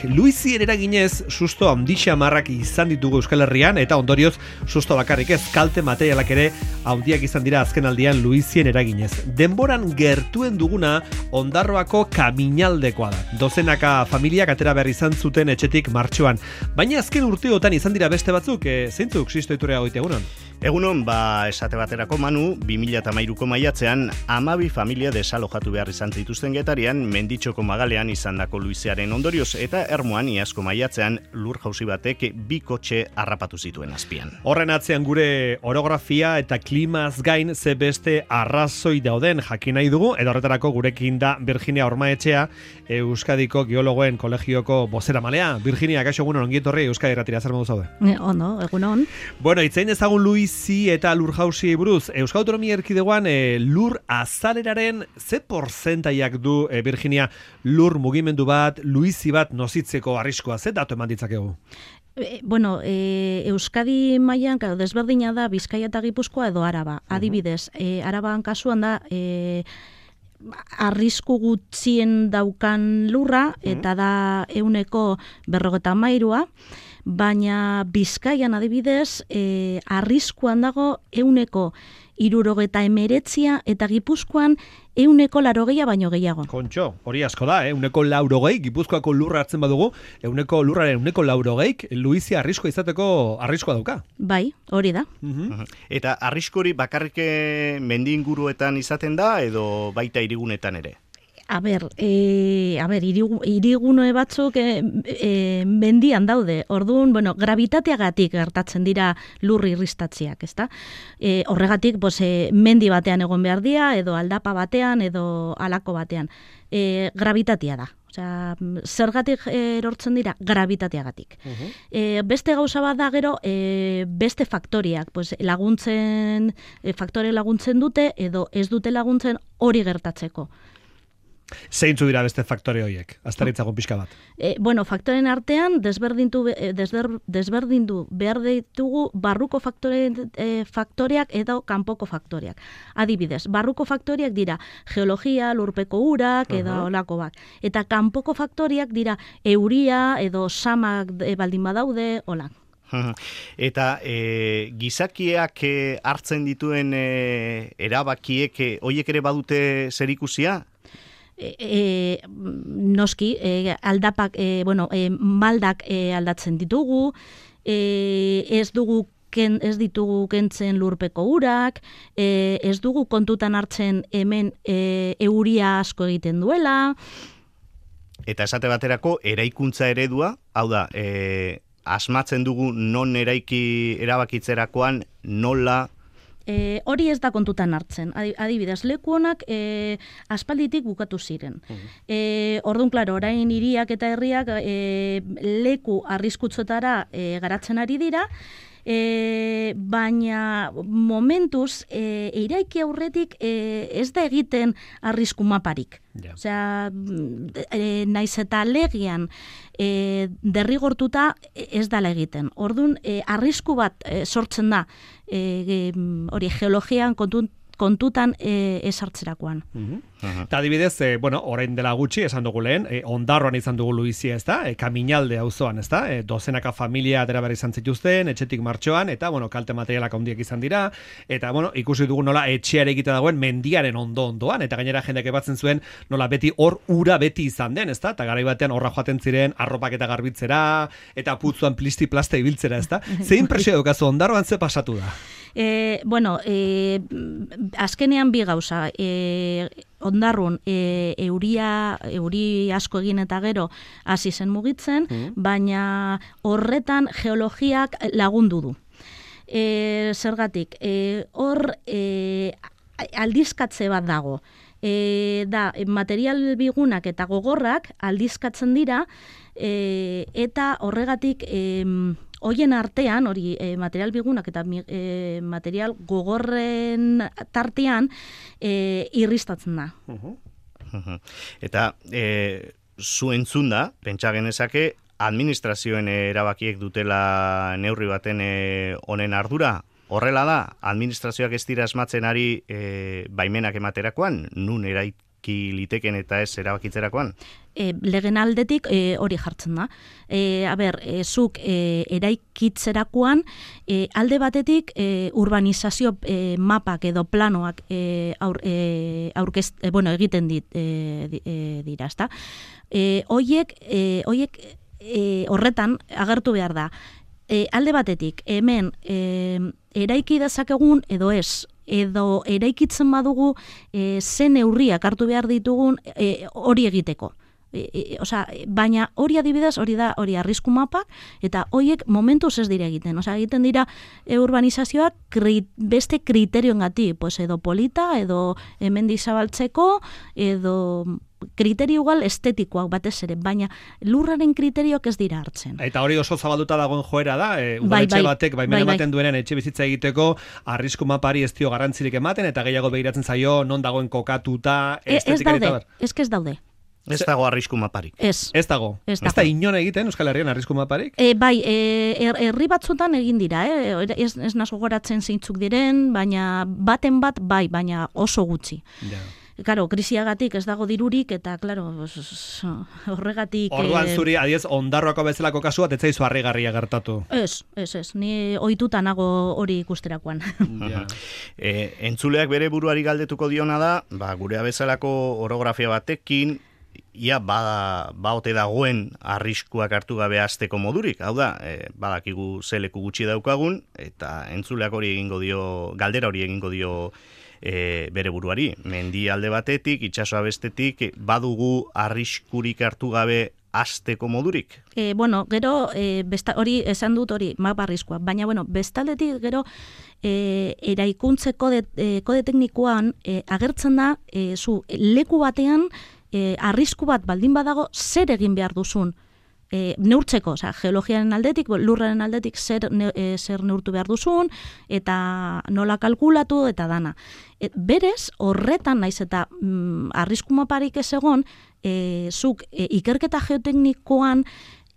Luizien eraginez, susto handixa marrak izan ditugu Euskal Herrian, eta ondorioz, susto bakarrik ez, kalte materialak ere handiak izan dira azken aldian Luizien eraginez. Denboran gertuen duguna Ondarroako Kaminaldekoa da. Dozenaka familiak atera behar izan zuten etxetik martxoan. Baina azken urteotan izan dira beste batzuk, zeintzuk Sisto Iturria goite egunon? Egunon, esate baterako Manu, 2013ko maiatzean 12 familia desalojatu behar izan zituzten Getarian, Menditxoko Magalean izandako Luiziaren ondorioz, eta Ermuan iazko maiatzean lur jauzi batek 2 kotxe harrapatu zituen azpian. Horren atzean gure orografia eta klimaz gain ze beste arrazoi dauden jakin nahi dugu, edo horretarako gurekin da Virginia Ormaetxea, Euskadiko Geologoen Kolegioko bozeramalea. Virginia, kaixo egunon, ongi etorri Euskadi Irratira, zer modu zaude? Ondo, egunon. Bueno, itzein ezagun Luizi eta lur jauzi buruz. Euskal Autonomia Erkidegoan lur azaleraren ze portzentaiak du, Virginia, lur mugimendu bat, Luizi bat nozitzeko arriskoa, ze datu eman ditzakegu? Euskadi mailan desberdina da Bizkaia eta Gipuzkoa edo Araba. Adibidez, Araban kasuan da arrisku gutxien daukan lurra, eta da 153, baina Bizkaian adibidez, arriskuan dago 169 eta Gipuzkoan 180 baino gehiago. Kontxo, hori asko da, 180, Gipuzkoako lurra hartzen badugu, lurraren 180, Luizia arriskoa izateko arriskoa dauka. Bai, hori da. Eta arriskori bakarrik mendi inguruetan izaten da, edo baita hirigunetan ere? Hirigune batzuk mendian daude. Orduan, gravitateagatik gertatzen dira lur irristatziak, ezta? Horregatik, mendi batean egon behar dira, edo aldapa batean, edo alako batean. Gravitatea da. Osea, zergatik erortzen dira? Gravitateagatik. Beste gauza bat da gero, beste faktoriak, faktore laguntzen dute, edo ez dute laguntzen hori gertatzeko. Zeintzu dira beste faktore horiek? Aztaritzago pixka bat. Faktoren artean desberdindu behar ditugu barruko faktoreak edo kanpoko faktoreak. Adibidez, barruko faktoreak dira geologia, lurpeko urak edo olako bat. Eta kanpoko faktoreak dira euria edo samak baldin badaude, olak. Eta gizakiak hartzen dituen erabakiek horiek ere badute zerikusia? Noski, aldapak, maldak aldatzen ditugu, ez ditugu kentzen lurpeko urak, ez dugu kontutan hartzen hemen euria asko egiten duela. Eta esate baterako, eraikuntza eredua, hau da, asmatzen dugu non erabakitzerakoan nola. Hori ez da kontutan hartzen. Adibidez, leku honak aspalditik bukatu ziren. Orduan, klaro, orain hiriak eta herriak leku arriskutzotara garatzen ari dira, baina momentuz eraiki aurretik ez da egiten arrisku maparik. Osea, naiz eta legian derrigortuta ez dala egiten. Orduan, arrisku bat sortzen da hori geologian kontutan esartzerakoan. Eta adibidez, orain dela gutxi, esan dugu lehen, Ondarroan izan dugu Luizia, ez da, Kaminalde auzoan, ez da, dozenaka familia atera behar izan zituzten, etxetik martxoan, eta, kalte materialak handiak izan dira, eta, ikusi dugu nola etxeare egite dagoen mendiaren ondoan, eta gainera jendeak ebatzen zuen, nola beti hor ura beti izan den, ez da, eta garai batean horra joaten ziren arropak eta garbitzera, eta putzuan plisti-plasta ibiltzera, ez da. Zein presio dukazu, Ondarroan ze pasatu da? Azkenean bi gauza, Ondarrun euri asko egin eta gero hasi zen mugitzen, baina horretan geologiak lagundu du. Zergatik, hor aldizkatze bat dago. Da, material bigunak eta gogorrak aldizkatzen dira, eta horregatik hoien artean, hori material bigunak eta material gogorren tartean irristatzen da. Eta zu entzun da, pentsa genezake, administrazioen erabakiek dutela neurri baten honen ardura. Horrela da, administrazioak ez dira asmatzen ari baimenak ematerakoan, nun erabaki liteken eta ez erabakitzerakoan? Legen aldetik hori jartzen da. Zuk eraikitzerakoan alde batetik urbanizazio mapak edo planoak egiten dira, ezta? Hoiek horretan agertu behar da. Alde batetik, hemen eraiki dezakegun edo ez, edo eraikitzen badugu zen neurriak hartu behar ditugun hori egiteko. Baina hori adibidez, hori arrisku mapak, eta horiek momentuz ez dira egiten. Egiten dira urbanizazioak beste kriterioengatik, edo polita, edo hemendik zabaltzeko, edo kriterio igual estetikoak batez ere, baina lurraren kriterioak ez dira hartzen. Eta hori oso zabalduta dagoen joera da, udaletxe batek baimena ematen duenen etxe bizitza egiteko arrisku mapari ez dio garrantzirik ematen, eta gehiago begiratzen zaio non dagoen kokatuta, estetikari eta bar. Ez daude. Ez dago arrisku maparik. Ez dago. Ez da inon egiten Euskal Herrian arrisku maparik? Herri batzutan egin dira, ez nazo goratzen zeintzuk diren, baina baten bat baina oso gutxi. Claro, krisiagatik ez dago dirurik, eta, claro, horregatik... Orduan zuri, adiez, Ondarroako bezalako kasua, ez zaizu harrigarria gertatu. Ez, ni ohituta nago hori ikusterakoan. Entzuleak bere buruari galdetuko diona da, gure bezalako orografia batekin, ia baote dagoen arriskuak hartu gabe hasteko modurik. Hau da, badakigu zeleku gutxi daukagun, eta entzuleak hori egingo dio, galdera hori egingo dio bere buruari. Mendi alde batetik, itsasoa bestetik, badugu arriskurik hartu gabe hasteko modurik? Gero, hori esan dut hori, mapa arriskua, baina, bestaldetik gero, eraikuntze kode teknikoan agertzen da, zu leku batean, arrisku bat baldin badago, zer egin behar duzun neurtzeko, geologiaren aldetik, lurraren aldetik zer neurtu behar duzun, eta nola kalkulatu, eta dana. Berez, horretan naiz eta arrisku maparik ez egon, zuk ikerketa geoteknikoan,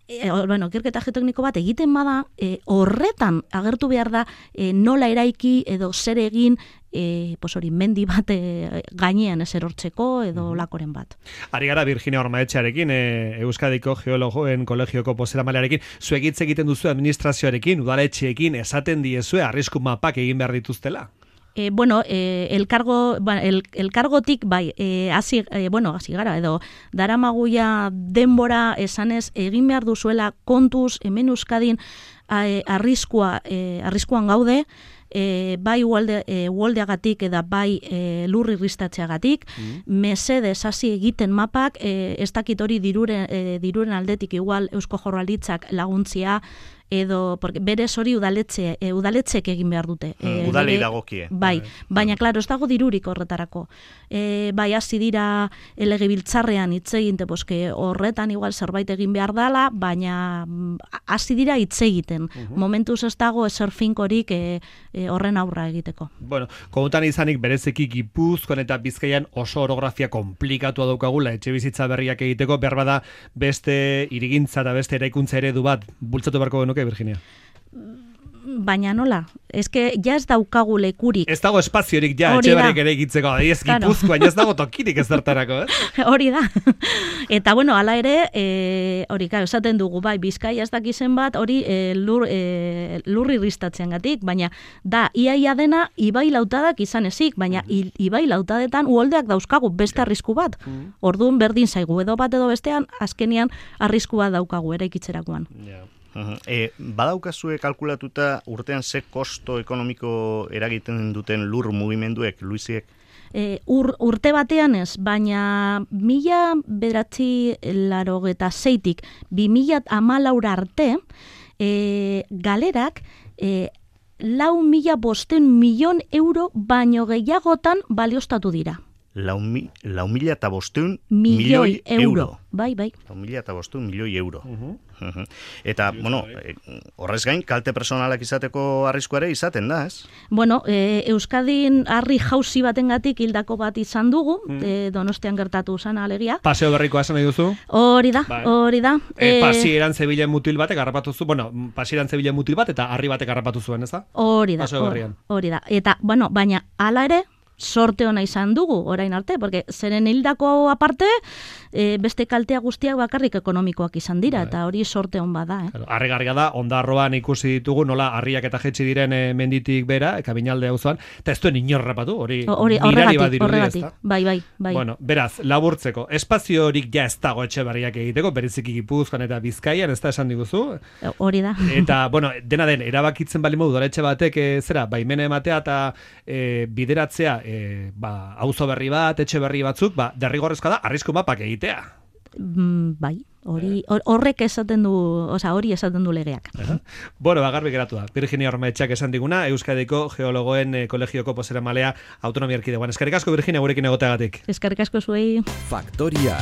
ikerketa geotekniko bat egiten bada, horretan agertu behar da nola eraiki edo zer egin mendi bat gainean ez erortzeko edo lakoren bat. Ari gara Virginia Ormaetxearekin, Euskadiko Geologoen Kolegioko bozeramailearekin, zuek hitz egiten duzu administrazioarekin, udaletxeekin, esaten diezue arrisku mapak egin behar dituztela? Elkargotik hasi gara, edo daramaguia denbora esanez egin behar duzuela kontuz hemen Euskadin arriskuan gaude, bai uoldeagatik eta bai lurrirristatzeagatik, mesedez hasi egiten mapak, ez dakit hori diruren aldetik igual Eusko Jaurlaritzak laguntzia, edo, berez hori udaletxek egin behar dute. Udalei dagokie. Baina, klaro, ez dago dirurik horretarako. Hasi dira legebiltzarrean hitz eginte, horretan igual zerbait egin behar dala, baina hasi dira hitz egiten. Momentuz ez dago ezer finkorik horren aurra egiteko. Kontutan izanik berezeki Gipuzkoan eta Bizkaian oso orografia komplikatua daukagula etxe bizitza berriak egiteko, behar bada beste irigintza eta beste eraikuntza eredu bat bultzatu beharko genuke, Virginia? Baina nola? Eske ja ez daukagu lekurik. Ez dago espaziorik ja etxe berriak ere egitzeko. Ez Gipuzkoan ez dago tokirik ez zertarako, Hori da. Eta hala ere, hori esaten dugu, Bizkaia ez dakizen bat, hori lurrirristatzeagatik, baina da, iaia dena ibai lautadak izan ezik, baina ibai lautadetan uholdeak dauzkagu beste arrisku bat. Orduan berdin zaigu, edo bat edo bestean, azkenian arrisku bat daukagu eraikitzerakoan. Badaukazue kalkulatuta urtean ze kosto ekonomiko eragiten duten lur mugimenduek, Luisiek? Urte batean ez, baina 1986-tik 2014 arte galerak 4.500 milion euro baino gehiagotan balioztatu dira. 4.500 milioi euro. Bai. 4.500 milioi euro. Eta, horrez gain, kalte personalak izateko arriskuare izaten da, ez? Euskadin harri jauzi batengatik hildako bat izan dugu, Donostian gertatu zan alegia. Paseo berrikoa esan nahi duzu? Hori da. Pasieran zebilen mutil batek harrapatu zu, pasieran zebilen mutil bat eta harri batek harrapatu zuen, ez da? Hori da. Eta, baina, hala ere, sorte ona izan dugu orain arte, porque zeren hildako aparte, beste kaltea guztiak bakarrik ekonomikoak izan dira, eta hori sorte on bada. Harrigarria da, Ondarroan ikusi ditugu, nola harriak eta jetxi diren menditik bera, Kaminalde auzoan, eta ez duen inorrapatu, hori mirari badirudi ez da. Bai. Bueno, beraz, laburtzeko, espazio horik ja ez dago Etxeberriak egiteko, bereziki Gipuzkoan eta Bizkaian, ez da esan diguzu? Hori da. Eta, bueno, dena den, erabakitzen bali modu, udaletxe batek, zera, baimena ematea eta bideratzea, auzo berri bat, etxe berri batzuk, derrigorrezkoa da, arrisku mapak egitea. Bai, horrek esaten du, hori esaten du legeak. Bueno, garbi geratu da. Virginia Ormaetxeak esan diguna, Euskadiko Geologoen Kolegioko bozeramalea autonomia erkidegoan. Eskerrik asko, Virginia, gurekin egoteagatik. Eskerrik asko zuei. Faktoria.